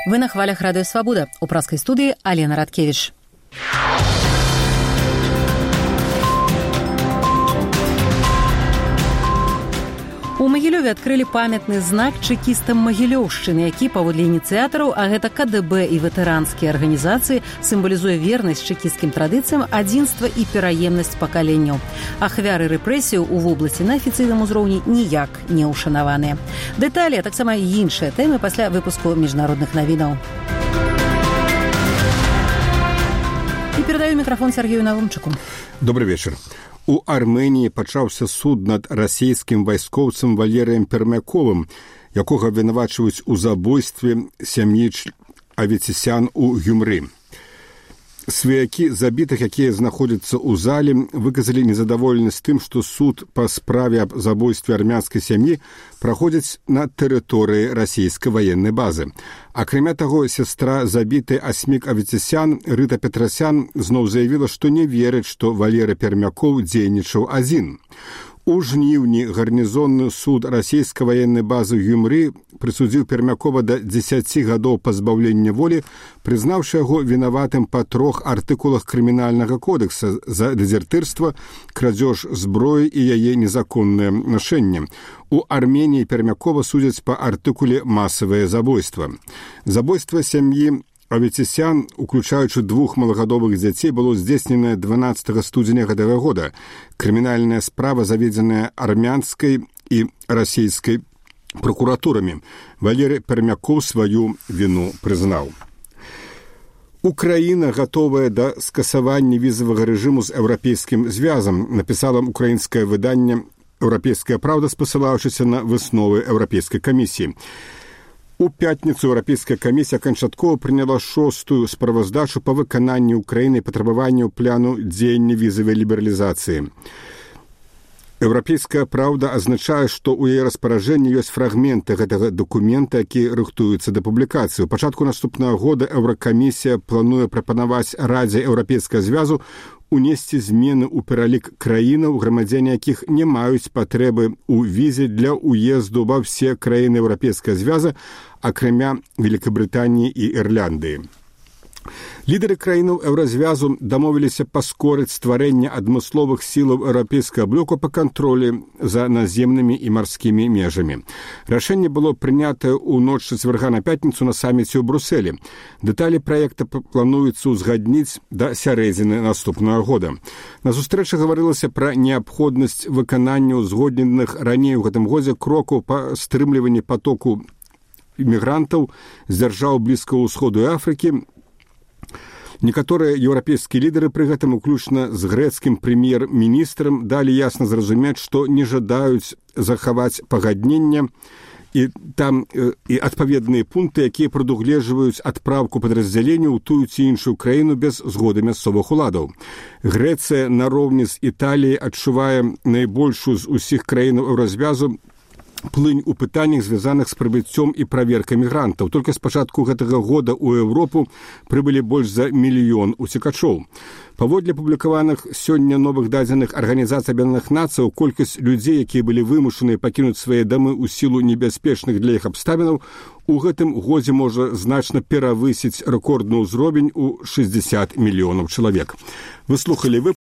Вы на хвалях Радио Свобода. У праской студии Алена Радкевич. У Магілёве адкрылі памятны знак чэкістам Магілёўшчыны, які, паводле ініцыятараў, а гэта КДБ і ветэранскія арганізацыі, сімвалізуе вернасць чэкісцкім традыцыям, адзінства і пераемнасць пакаленняў. Ахвяры рэпрэсіяў у вобласці на афіцыйным узроўні ніяк не ўшанаваныя. Дэталі, а таксама іншыя тэмы пасля выпуску міжнародных навінаў. І перадаю мікрафон Сергею Навумчыку. Добрый вечер. У Арменіі пачаўся суд над расійскім вайскоўцам Валерыем Пермяковым, якога абвінавачваюць у забойстве сям'і Аветисян у Гюмры. Сваякі забітых, якія знаходзяцца ў зале, выказалі незадаволенасць тым, што суд па справе аб забойстве армянскай сям'і праходзіць на тэрыторыі расійскай ваеннай базы. Акрамя таго, сястра забітай Асмік Аветисян Рыта Петрасян зноў заявіла, што не верыць, што Валерый Пермяков дзейнічаў адзін. У жніўні гарнізонны суд расійскай ваеннай базы Гюмры прысудзіў Пермякова да 10 гадоў пазбаўлення волі, прызнаўшы яго вінаватым па 3 артыкулах крымінальнага кодекса за дэзертырства, крадзеж зброі і яе незаконнае нашэнне. У Арменіі Пермякова судзяць па артыкуле «Масавае забойства». Забойства сям'і Аветисян, уключаючы 2 малагадовых дзяцей, было здзейсненае 12 студзеня гэтага года. Крымінальная справа заведзеная армянскай і расійскай прокуратурамі. Валерый Пермяков сваю віну прызнаў. Украіна гатовая да скасавання візавага рэжыму з еўрапейскім звязам, напісала украінскае выданне «Еўрапейская правда», спасылаючыся на высновы Еўрапейскай камісіі. У пятніцу Еўрапейская камісія канчаткова прыняла 6-ю справаздачу па выкананні Украіны патрабаванняў пляну дзеяння візавай лібералізацыі. Еўрапейская правда азначае, што ў яе распараджэнні ёсць фрагменты гэтага дакумента, які рыхтуюцца да публікацыі. У пачатку наступнага года Еўракамісія плануе прапанаваць Радзе Еўрапейскага звязу унесці змены ў пералік краінаў, грамадзяне якіх не маюць патрэбы ў візе для ўезду ва ўсе краіны Еўрапейскага звяза, акрамя Великабрытаніі і Ірландыі. Лідары краінаў еўразвязу дамовіліся паскорыць стварэнне адмысловых сілаў еўрапейскага блоку па кантролі за наземнымі і марскімі межамі. Рашэнне было прынятае ў ноч чацвярга на пятніцу на саміце ў Брусэлі. Дэталі праекта плануецца ўзгадніць да сярэдзіны наступнага года. На сустрэчы гаварылася пра неабходнасць выканання узгодненых раней у гэтым годзе крокаў па стрымліванні патоку імігрантаў з дзяржаў Блізкага ўсходу і Афрыкі. Некаторыя еўрапейскія лідары пры гэтым, уключна з грэцкім прэм'ер-міністрам, далі ясна зразумець, што не жадаюць захаваць пагаднення і там і адпаведныя пункты, якія прадугледжваюць адпраўку падраздзяленняў у тую ці іншую краіну без згоды мясцовых уладаў. Грэцыя нароўні з Італіяй адчувае найбольшую з усіх краінаў еўразвязу плынь у пытаннях, звязаных з прыбыццём і праверкай мігрантаў. Толькі з пачатку гэтага года ў Еўропу прыбылі больш за 1 мільён уцекачоў. Паводле публікаваных сёння новых дадзеных Арганізацыі Аб'яднаных Нацыяў, колькасць людзей, якія былі вымушаныя пакінуць свае дамы ў сілу небяспечных для іх абставінаў, у гэтым годзе можа значна перавысіць рэкордны ўзровень у 60 мільёнаў чалавек. Вы слухалі